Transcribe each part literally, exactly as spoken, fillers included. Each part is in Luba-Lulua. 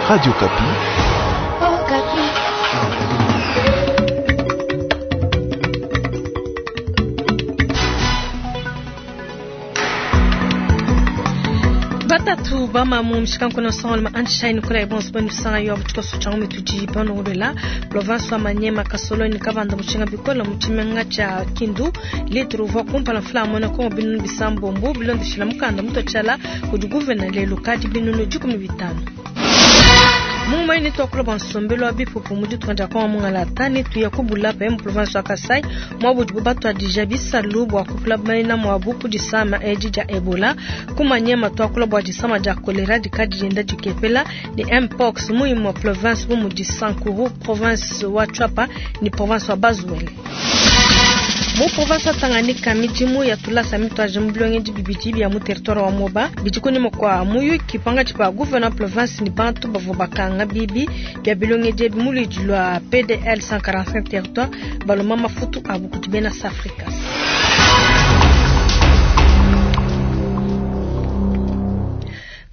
Radio Okapi. Batatu bamamu mshikanko sangol ma anshine kula ibons bonu sanga yo butuko changu mituji bonu rela province wa Manyema Kasoloni kabanda mushinga bikola muchimenga cha Kindu litru vo kumpala fla mona ko binu bisambo mbu bilondo shila mukanda mutochala kudi gouverneur lelo kadi binunu jikumi bitano. Mumai ni tokolo bansombelo abipupu mudi twanja kwa mungala tani tuya kubula pa mu province wa Kasai mwabu batwa dija bisalu bwa kupula maina mwabu kudisama eji ja Ebola kumanyema twakula bwa disama ja kolera dikadi jenda dikepela ni mpox muimu wa province bu mudi Sankuru province wa Tshuapa ni province wa Bazuele. Mu province wa Tanganyika mijimu ya tulasa mitwaje mbilonge dibibidi bya mu territoire wa Moba bidikoni mokwa muyuki panga chipa gouverneur province ni bantu bavo bakanga bibi bya bilonge djebi mulidi lwa P D L cent quarante-cinq territoire baloma mafutu abu kutibena Afrika.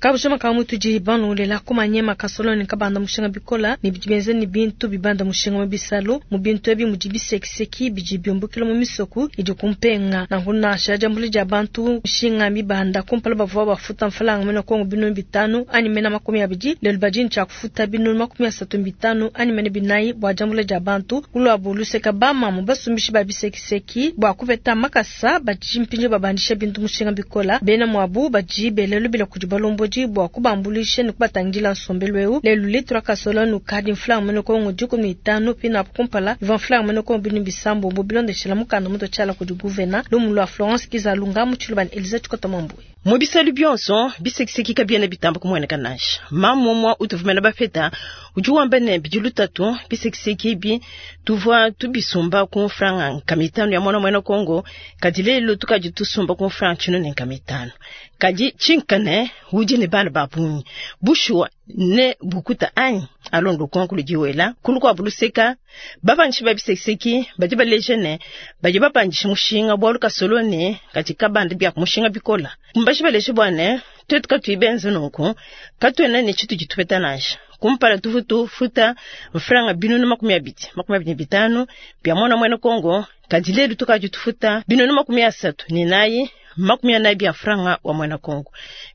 Kabujama kamutu jibanu lela kumanyema kasoloni kabanda mushinga bikola ni bibenze ni bintu bibanda mushinga mabisalo mu bintu ebi mujibisekiseki bijibyombukilo mu misoku idi kumpenga na huna shaja mbuli ja bantu mushinga mibanda kumpala bavwa bafuta mfalanga mena kongo binu bitanu ani mena makumi abidi lelo bajini cha kufuta binu makumi asatu bitanu ani mena binayi bwa jambule ja bantu kulwa buluseka bama mu basumbishi babisekiseki bwa kupeta makasa bajimpinje babandisha bintu mushinga bikola bena mwabu bajibelelo bila kujibalombo bwa kubambulisha ni kubatangila nsombelo eu lelo litra kasoloni kadi mfla mene kongo dikumi itano pina kumpala ivan mfla mene kongo binu bisambo mbo bilondeshela mukanda muto chala kudi gouverneur lumu lwa Florence Kizalunga muchiluba Elisa Chikota Mambwe. Mubiselu byonso bisekiseki kabiena bitamba kumweneka nasha mamomwa utuvumela bafeta udi wamba ne bidilu tatu bisekiseki bi tuvua tubisumba ku franga nkamitano ya mwana mwena Kongo kadi lelo tukadi tusumba ku franga chino ne nkamitano kadi chinkane udi ne bana babunyi bushuwa ne bukuta anyi alondo konkulu diwela kulu kwa buluseka babanshi babisekiseki badi baleje ne badi babandisha mushinga bwalu kasoloni kadi kabanda bya mushinga bikola mbashi baleje bwane twetu katuibenze nunku katuena ne chitu jitupeta nasha kumpala tufutu futa mfranga binunu makumi abidi makumi abidi bitano bya mwana mwena Kongo kadi lelu tukaji tufuta binunu makumi asatu ni nayi makumi anayi bya franga wa mwana Kongo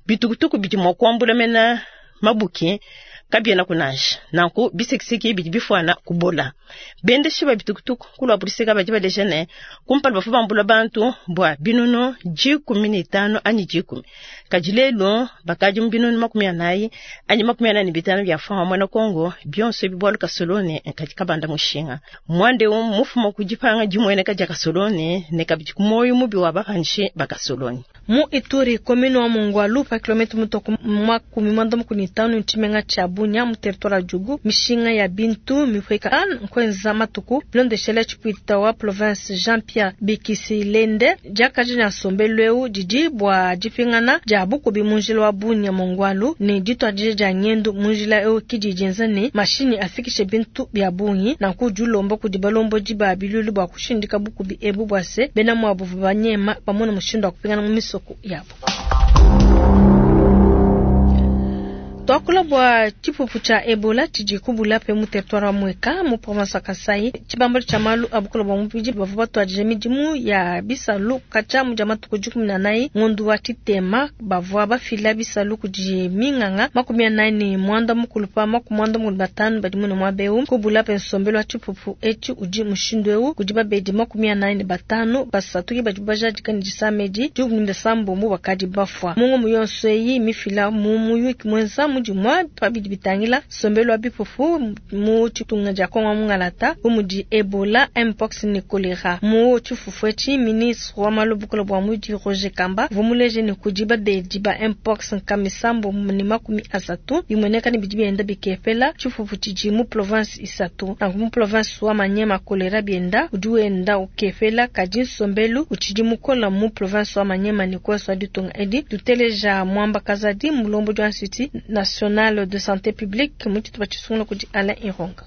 bitukutuku bidi mwa kuambula mena mabuki kabiena kunasha nanku bisekiseki bidi bifwana kubola bende shiba bitukutuku kulwa buliseka badi baleje ne kumpala bafu bambula bantu bwa binunu jikumi ni tano anyi jikumi kadi lelo bakadi mu binunu makumi anayi anyi makumi anani bitano bya franga mwana Kongo byonso bibwalu kasoloni kadi kabanda mushinga mwande um mufumo kujipanga jimwene kaja kasoloni ne kabidi kumoyo mubi wa bapanshi bakasoloni mu Ituri komino wa Mongwalu pa kilometre mutoko makumi mwanda mukuni tano nchimenga cha Bunya mu territoire Djugu mishinga ya bintu mifweka nkwenza matuku bilondeshela chipuita wa province Jean-Pierre Bikisilende jakaji na sombelweu didi bwa jipingana ja bukubi munjila wa Bunya Mongwalu ni ditwa ja nyendu munjila eu kidijinza ne mashini afikishe bintu bya bunyi na kujulomba kudibalombo jiba bilulu bwa kushindika bukubi ebu bwase bena mwabu banyema pamona mushindo wa kupingana mu misoko yabo. Twakula bwa chipupu cha Ebola chijikubula pe mu territoire wa Mweka mu province ya Kasai chibambalo cha malu abukula bwa mupiji bavu batwaje midimu ya bisalu kacha mu jamatu kujukumi na nayi ngondu wa chitema bavwa bafila bisalu kuji minganga makumi anayi ni mwanda mukulu pa makumi mwanda mukulu batanu badi mune mwabeu kubula pe nsombelo wa chipupu echi uji mushindu eu kuji babedi makumi anayi ni batanu basatu ki badi bajadika ni jisamedi jukumi sambo bakadi bafwa mungu muyonso eyi mifila mu muyuki mwenza mujimwa pabidi bitangila sombelo wa bipupu mu chitunga ja Kongo mungalata umudi Ebola mpox ni kolera mu chifufu echi ministre wa malobukolo bwa mudi Roger Kamba vumuleje ni kujiba de jiba mpox nkamisambo ni makumi asatu bimoneka ni bidi bienda bikepela chifufu chiji mu province isatu na mu province wa Manyema kolera bienda udiwenda ukepela kaji sombelu uchiji mukola mu province wa Manyema ni kweswa ditunga edi tuteleja mwamba kazadi mulombo jwa city na National de Santé Publique mu tshitupa tshisungula kudi Alain Ironga.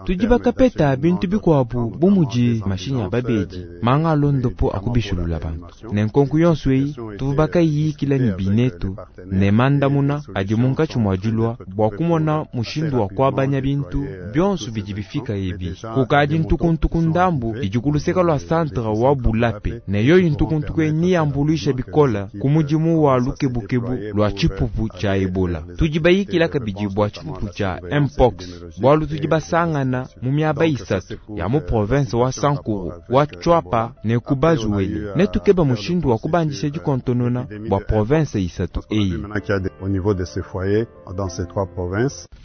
Tudi bakapeta bintu bikuabu bu mudi mashinyi a babedi manga alondopo akubishulula bantu ne nkonko yonso eyi tuvua bakayikila ne binetu ne mandamuna adi munkatshi mua dilua bua kumona mushindu wa kuabanya bintu bionso bidi bifika ebi kukadi ntukuntuku ndambu idi ku luseka lua centre wa Bulape ne yoyi ntukuntuku eyi niyambuluisha bikola ku mudimu wa lukebukebu lua tshipupu tshia Ebola. Tudi bayikila kabidi bua tshipupu tshia Mpox bualu tudi basangana mu miaba isatu ya mu province wa Sankuru wa Tshuapa ne ku Bazuwele ne tukeba mushindu wa kubandisha dikontonona bua province isatu eyi.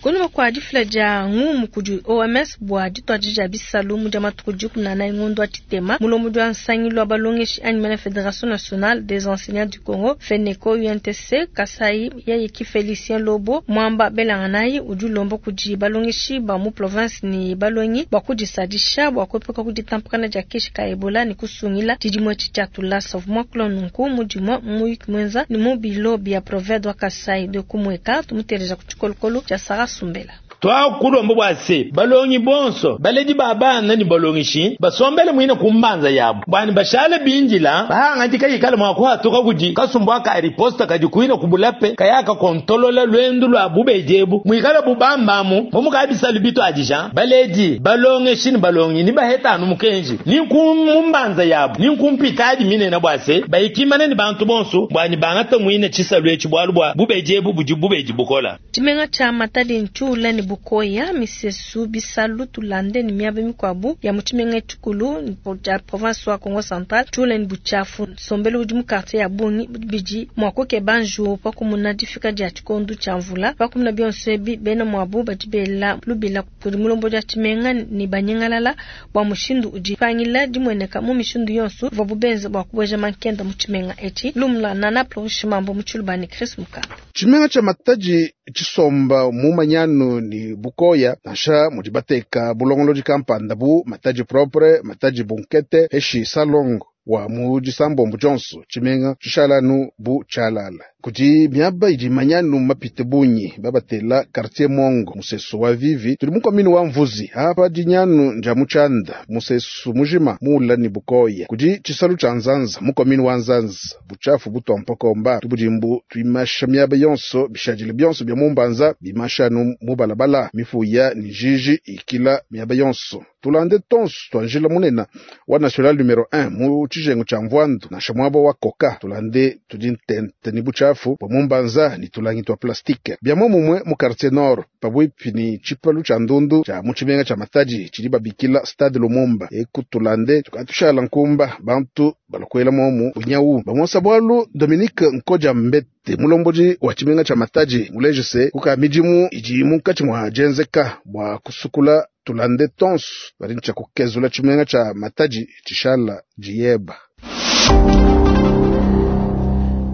Kunyima kua difila dia ngumu kudi O M S bua dituadija bisalu mu dia matuku dikumi na anayi ngondo wa tshitema mulombodi wa nsangilu wa balongeshi anyi la Fédération Nationale des Enseignants du Congo FENECO U N T C Kasai yayeki Félicien Lobo mwamba belanganayi udi ulomba kudi balongeshi ba mu province ni balongi bua kudisadisha bua kuepuka kuditampakana dia keshi ka Ebola ni kusungila tshidimue tshia tulasa mwakula nunku mudimue muyuki mwenza ni mu bilo bia province wa Kasai de kumweka tumuteleja ku tshikolokolo tshia Sarah Sumbela. Twakulomba bwa se balongi bonso baledi babana ni balongishi basombele mwine kumbanza yabo bwani bashale binjila bahangandika yikala mwakuhatuka kudi kasumbwa ka riposta kadi kuina kubulape kayaka kontolola lwendu lwa bubejebu mwikala bubambamu mumukabisa lubito adija baledi balongeshi ni balongi ni bahetanu mukenji ni kumbanza yabo ni kumpitadi minene bwa se bayikimana ni bantu bonso bwani bangata mwine chisalu echi bwalu bwa bubejebu budi bubeji bukola Tshimenga tsha Matadi ntshula ni bukoya misesu bisalu tulande ni miaba mikuabu ya mu tshimenga tshikulu tshia province wa Kongo Central tshula ni buchafu sombelo udi mu quartier ya Bungi bidi mua kukeba njuwu pa kumuna difika dia tshikondu tshia mvula pa kumuna bionso ebi bena muabu badi bela lubila kudi mulombodi wa tshimenga ni banyengalala bua mushindu udi pangila dimueneka mu mishindu yonso ivuabu benza bua kubueja mankenda mu tshimenga etshi lumula nana Flourish Mambo mu tshilubani Chris Mukamba. Tshimenga tsha Matadi tshisomba mu manyanu ni bukoya nansha mudi bateka bulongolodi kampanda bu Matadi propre Matadi bunkete heshi salongo wa mu disambombo Johnson tshimenga tshishalanu bu tshalala kudi miaba idi manyanu mapite bunyi babatela quartier Mongo musesu wa vivi tuli mukomini wa mvuzi apa dinyanu nja muchanda musesu mujima mula ni bukoya kudi tshisalu tsha nzanza mukomini wa nzanza buchafu butompokomba tubudimbu tuimasha miaba yonso bishadile byonso bya mumbanza bimashanu mubalabala mifuya ni jiji ikila miaba yonso tulande tonso twanjila munena wa national numero un mu tshijengo tsha mvwandu nansha mwabo wa koka tulande tudi ntente ni buchafu bwa mumbanza ni tulangi twa plastike bya momumwe mu quartier nord pabwipi ni tshipalu tsha ndundu tsha mu tshimenga tsha Matadi tshidi babikila stade Lumumba eku tulande tukatushala nkumba bantu balokwela momu bunyawu bamonsa bwalu Dominique Nkodia Mbete mulombodi wa tshimenga tsha Matadi mulejese kuka midimu idi munkatshi mwa jenzeka bwa kusukula tulande tonso bali ntsha kukezula tshimenga tsha Matadi tshishala diyeba.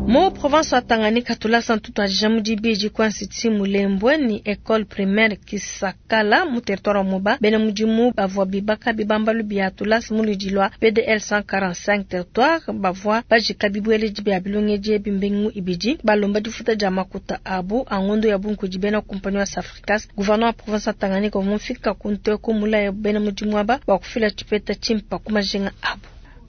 Mu province wa Tanganyika tulasa ntutu ajamu dibidi kwa nsiti Mulembwe ni école primaire Kisakala mu territoire wa Moba bena mudimu bavua bibaka bibambalu bia tulasa mu ludi lwa P D L cent quarante-cinq territoire bavua bajika bibueledi bia bilongedi bimbengu ibidi balomba difuta dia makuta abu angondo ya bunku di bena compagnie wa Safricas gouverneur wa province wa Tanganyika mufika kunte ko mulaya bena mudimu aba bakufila tshipeta tshimpa kumajinga abu.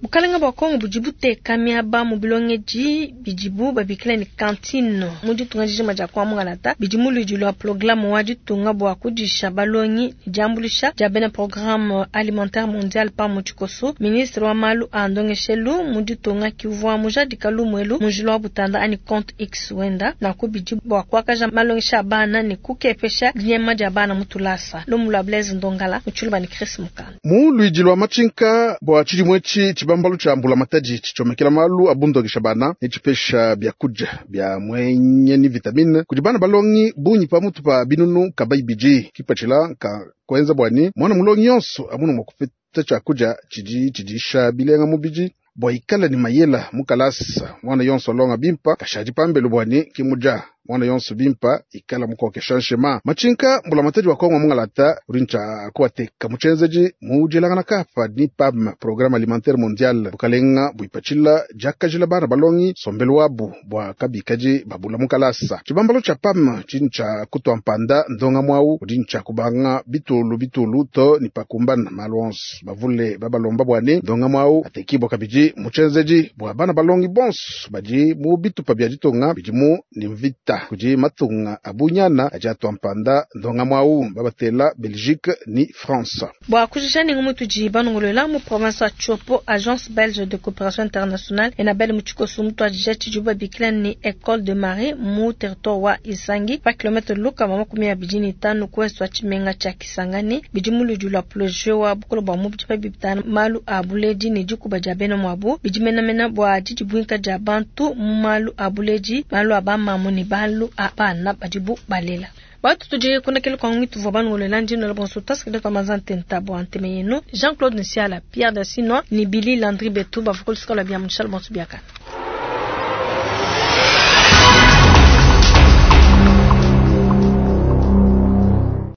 Bukalenga bwa Kongo budi buteka miaba mu bilongedi bidibu babikila ni cantine mu ditunga dijima dia kwa Mungalata bidi mu ludi lwa programme wa ditunga bua kudisha balongi diambulisha dia bena programme alimentaire mondial pa mu tshikoso ministre wa malu a ndongeshelu mu ditunga kivua mujadika lumwelu mu wa butanda ani compte X wenda na kubidi bua kuakaja malongesha a bana ni kukepesha dinyema dia bana mu tulasa lumula Blaise Ndongala mu tshilubani ni Chris Mukanda mu ludi lwa machinka bua tshidimwe tshi bambalu tsha mbula Matadi tshomekela malu abundokesha bana ne tshipesha byakudia bya mwenye ni vitamine kudi bana balongi bunyi pamutu pa binunu kabayi bidi kipatshila ka kwenza bwani mwana mulongi yonso amunu mwakupeta tshakudia tshidi tshidisha bilenga mubidi bwa ikala ni mayela mukalasa mwana yonso alonga bimpa kashadi pambelu bwani kimuja mwana yonso bimpa ikala mukokesha nshema machinka mbulamatadi wa Kongo mungalata uri ncha kuateka muchenzeji mujelangana kapa ni PAM programme alimentaire mondiale bukalenga buipachila jakajila bana balongi sombelo wabu bwa kabikaji babula mukalasa chibambalo cha PAM chincha kutwa mpanda ndonga mwau uri ncha kubanga bitulu bitulu to ni pakumbana malonso bavule babalomba bwane ndonga mwau atekibwa kabiji muchenzeji bwa bana balongi bonso baji mu bitupa bya ditonga bidimu ni mvita kuji matunga abunyana aja atwa mpanda ndonga mwau babatela Belgique ni France Bwa kujisha ni ngumu tuji banongolola mu province ya Tshopo agence belge de coopération internationale enabel muchikosu mutu ajija chijuba bikila ni école de marée mu territoire wa Isangi pa kilomètre luka mama kumi ya bijini tano kwesu wa chimenga cha Kisangani bidimu ludula projet wa bukolo bwa mubiji pa bibitana malu a buledi ni dikuba dia bena mwabu bidimenamena bwa didibwinka dia bantu mu malu a buledi malu a bamamu ni balu a bana badibu balela batu tuje kuna kele kwa ngitu vwa banu ndi no bonso task de pamazan tenta bo anteme yenu Jean-Claude Nsiala Pierre Dassino ni Billy Landry Betou bavukul skola bia mushal bonso biaka.